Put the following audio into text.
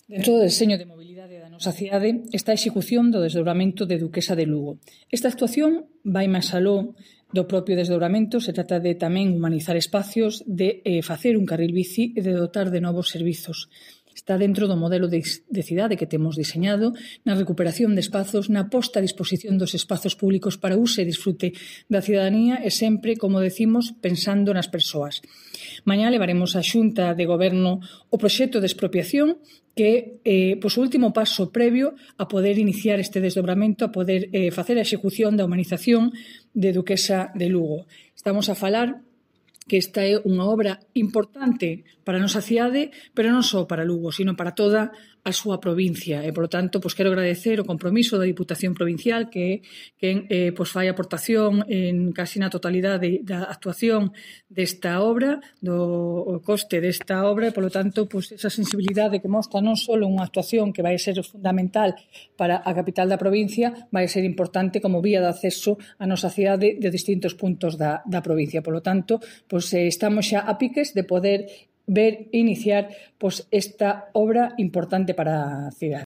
Dentro do deseño de mobilidade da nosa cidade está a execución do desdobramento de Duquesa de Lugo. Esta actuación vai máis aló do propio desdobramento, se trata de tamén humanizar espacios, de facer un carril bici e de dotar de novos servizos. Está dentro do modelo de cidade que temos diseñado, na recuperación de espazos, na posta a disposición dos espazos públicos para uso e disfrute da cidadanía e sempre, como decimos, pensando nas persoas. Mañá levaremos á Xunta de Goberno o proxecto de expropiación que é o último paso previo a poder iniciar este desdobramento, a poder facer a execución da humanización de Duquesa de Lugo. Estamos a falar que esta é unha obra importante para a nosa cidade, pero non só para Lugo, sino para toda a súa provincia. E, polo tanto, quero agradecer o compromiso da Diputación Provincial que fai aportación en casi na totalidade da actuación desta obra, do coste desta obra, e, polo tanto, esa sensibilidade que mostra non só unha actuación que vai ser fundamental para a capital da provincia, vai ser importante como vía de acceso á nosa cidade de distintos puntos da provincia. Polo tanto, estamos xa a piques de poder ver iniciar esta obra importante para a cidade.